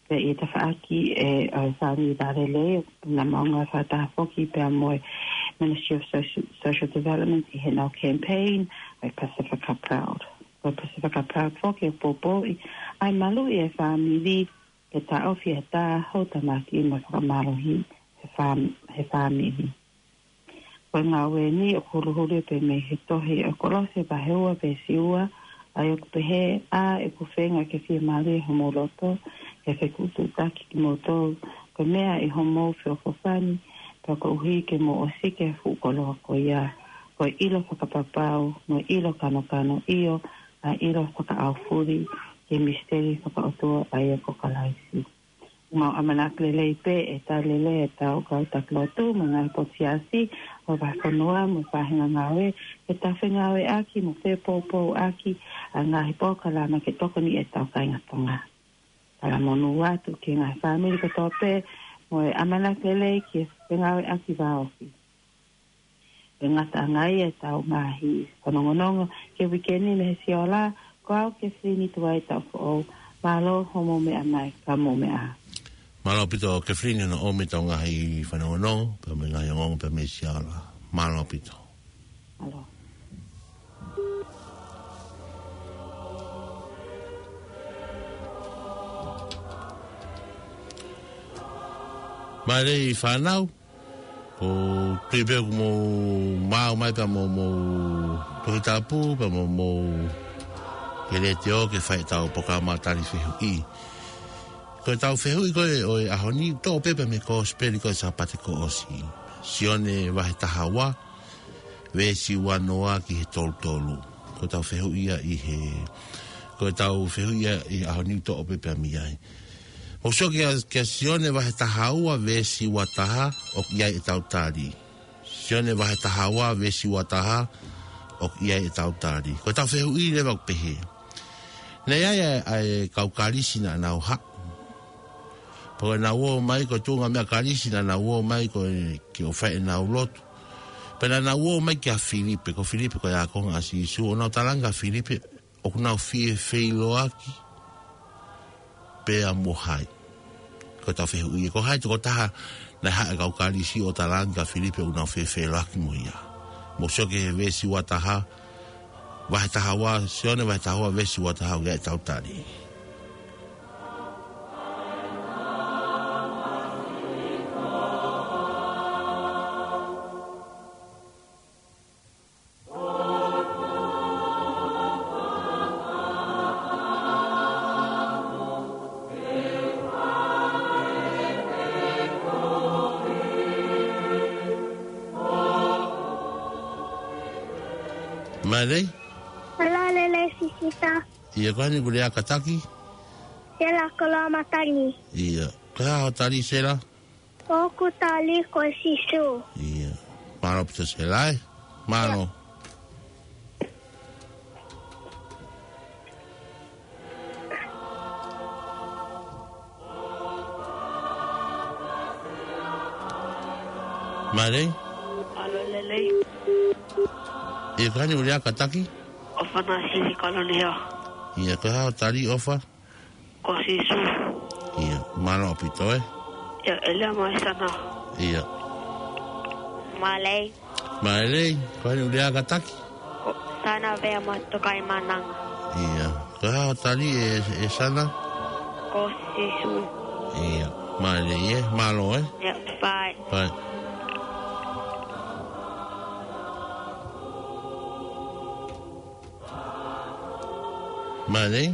Pea ʻi he tafaʻaki ʻe, ʻo e Fāmili Vālelei, naʻa mau ngāue fakataha foki pea mo e Ministry of Social, Social Development ʻi heʻenau campaign, ʻa e Pasifika Proud. Ko e Pasifika Proud foki ʻoku poupouʻi ʻa e maluʻi e fāmili, ke taʻofi e tā houtamaki mo e fakamālohi he fām-, he fāmili. Ko e ngāue ni ʻoku huluhulu pē mei he tohi ʻa Kolose vahe ua veesi ua, ʻa ia ʻoku pehē: ʻA ʻeku feinga ke fiemālie homou loto, ke fekutuʻutaki kimoutolu, ko e meʻa ʻi homou feʻofoʻofani, pea koeʻuhi ke mou ʻosiki ʻa e fuʻu koloa ko ia, ko e ʻilo fakapapau, mo e ʻilo kanokano, ʻio, ʻa e ʻilo fakaʻaufuli ki he misiteli fakaʻotua, ʻa ia ko Kalaisi. Mau ʻamanaki lelei pē ʻe tali lelei ʻetau kau taki lotu mo e ngaahi potu siasi ʻo e vahefonua mo e faʻahinga ngāue, ke tau fengāueʻaki mo fepoupouʻaki ʻa e ngaahi polokalama ke tokoni ʻetau kāinga Tonga. Talamonū atu ki he ngaahi fāmili kotoa pē mo e ʻamanaki lelei ke fengāueʻaki vāofi. ʻE ngata ange ai ʻetau ngaahi fanongonongo ki he uike ni mei he Siola, ko au Kefilini Tuai Taufoʻou. Mālō hoʻomou meʻa mai, ka mou meʻa ā. Mālō ʻaupito Kefilini hono ʻomi ʻetau ngaahi fanongonongo, pea mo e ngaahi ongoongo pea mei he Siola. Mālō ʻaupito. Mālō. Mālō e fānau. ʻOku ou tui pē ʻoku mou maʻu mai pea mo hoʻomou Tohi Tapu, pea mo hoʻomou letiō ke fai ʻetau polokalama tali fehuʻi. Ko ʻetau fehuʻi ko ē ʻo e ʻaho ni, toʻo pē pea mei he Kosipeli ko ē Sāpate kuo ʻosi. Sione vahe taha ua, veesi ua noa ki he tolu tolu. Ko ʻetau fehuʻi ia ʻi he, ko ʻetau fehuʻi ia ʻi he ʻaho ni, toʻo pē pea mei ai. Mou sio kia, kia Sione vahe taha ua veesi ua taha, ʻoku ʻi ai ʻetau tali. Sione vahe taha ua veesi ua taha, ʻoku ʻi ai ʻetau tali. Ko ʻetau fehuʻi leva ʻoku pehē: Naʻe ʻi ai ʻa e, ʻa e kau Kalisi naʻa nau haʻu. Pea naʻa nau ō mai, ko e tuʻunga meʻa Kalisi naʻa nau ō mai ko e ke ō ʻo fai ʻenau lotu. Pea naʻa nau ō mai kia Filipe, ko Filipe ko e ākonga ʻa Sīsū, ʻo nau talaange kia Filipe ʻoku nau fie feʻiloaki pea mo hai. Ko ʻetau fehuʻi, ko hai tokotaha naʻe haʻu e kau Kalisi ʻo talaange kia Filipe ʻoku nau fie feʻiloaki mo ia? Mou sio ki he veesi ua taha, vahe taha ua, Sione vahe taha ua veesi ua taha, ʻoku ʻi ai ʻetau tali. Mālō. Mālō lelei sisita. ʻIo, ko hai ʻoku lea kātaki? Sela Koloa Matani. ʻIo. Ko e hā hoʻo tali, Sela? ʻOku ou tali ko Sīsū. ʻIo. Mālō ʻaupito Sela ē. Mālō. Mālō. Mālō lelei. ʻIo, ko hai ʻoku lea kātaki? ʻOfa Nāsili Kalonihea. ʻIo, ko e hā hoʻo tali, ʻOfa? Ko Sīsū. ʻIo, mālō ʻaupito ē. ʻIo, ʻElia Maisana. ʻIo. Mālō. Mālō, ko hai ʻoku lea kātaki? Ko Sana Vea Matukai Mananga. ʻIo, ko e hā hoʻo tali ē, ē Sana? Ko Sīsū. ʻIo, mālō ē, mālō ē. ʻIo, bye. Bye. Mālō.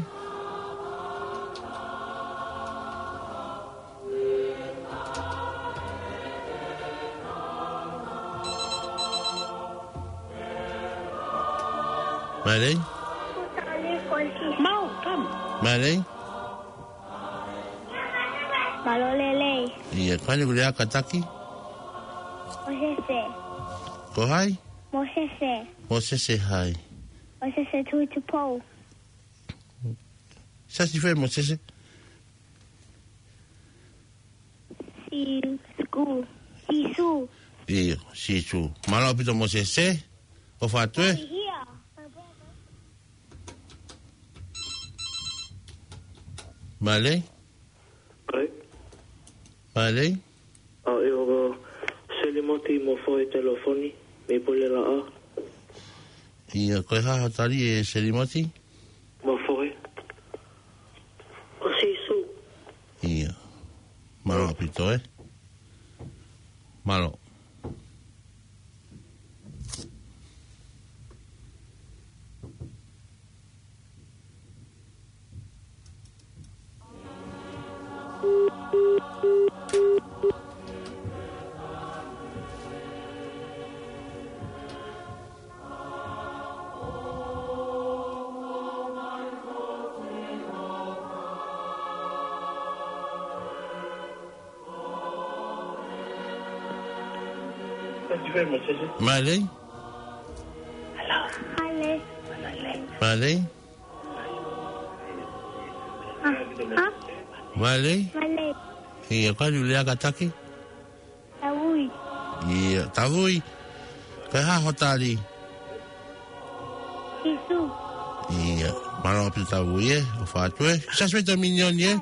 Mālō. Mau, kam. Mālō. Mālō lelei. ʻIo, ko hai ʻoku lea kātaki? Mosese. Ko hai? Mosese. Mosese hai? Mosese Tuʻitupou. Siasi fē Mosese? Sīsū. Sīsū. ʻIo, Sīsū. Mālō ʻaupito Mosese. ʻOfa atu ē. Hia. Mālō. Kai. Mālō. ʻA e ʻo Selimoti Mofoe Telefoni, mei Pulelaʻa. ʻIo, ko e hā hoʻo tali ē Selimoti? Mofoe. Ko Sīsū. ʻIo. Mālō ʻaupito ē. Mālō. Mālei? Mālei? Mālei? Mālei? Mālei. ʻIo, kātaki, lea kātaki? Tavui. ʻIo, Tavui. Ko e hā ho tali? Sīsū. ʻIo, mālō ʻaupito Tavui ē, ʻofa atu ē. Sasue ta minioni ē.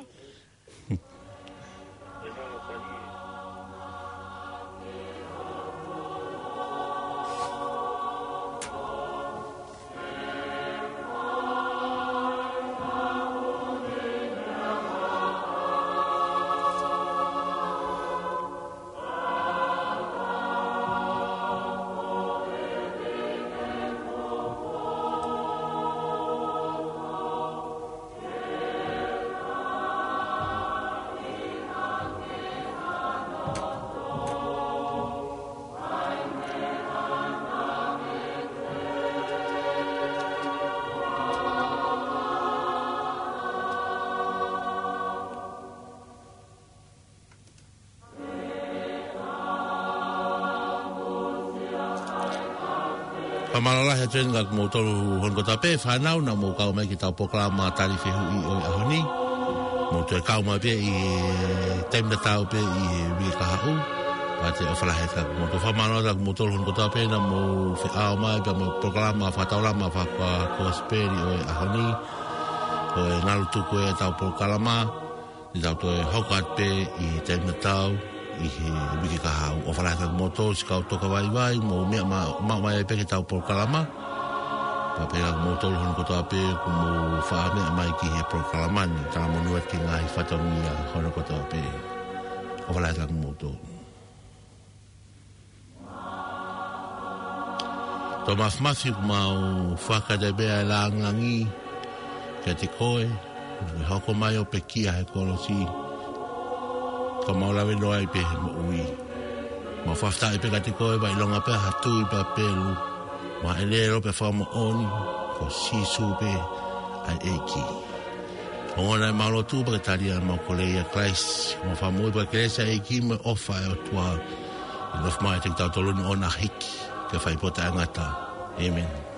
Fakamālō lahi atu eni kia kimoutolu hono kotoa pē fānau naʻa mou kau mai ki heʻetau polokalama tali fehuʻi ʻo e ʻaho ni. Mou toe kau mai pē ʻi he taimi tatau pē ʻi he uike kahaʻu. Pea ʻoku ou ʻofa lahi atu kia kimoutolu. Fakamālō atu kia kimoutolu hono kotoa pē naʻa mou feʻao mai pea mo e polokalama fakataulama fakakosipeli ʻo e ʻaho ni. Ko e ngalu tuku ē ʻetau polokalama. Te tau toe hoko atu pē ʻi he taimi tatau ʻi he uike kahaʻu. ʻOfa lahi atu kia kimoutolu siʻi kau toka vaivai, mou meʻa ma-, maʻu mai pē ki heʻetau polokalama. Pea pehē kia kimoutolu hono kotoa pē ʻoku mou faʻa meʻa mai ki he polokalama ni, talamonū atu ki he ngaahi fatongia hono kotoa pē. ʻOfa lahi atu kia kimoutolu. Toa Mafimafi, ʻoku mau fakatauange pē ʻa e langilangi kiate koe, naʻa ke hoko mai ʻo pekia he kolosi, ka mau lave noa ai pē he moʻui. Mau fakafetaʻi pē kiate koe, ʻoku ʻilonga pē ha tui pea pelu, mo ha ʻelelo pea fakamoʻoni, ko Sīsū pē ʻa e ʻEiki. Ongona ʻemau lotu pea ke tali ʻemau kole ʻia Kalaisi, ʻemau Fakamoʻui, pea ke lea ʻa e ʻEiki mo e ʻofa ʻa e ʻOtua ke nofo maʻa kitautolu ni ʻo na hiki ki he fai pō taʻengata. ʻĒmeni.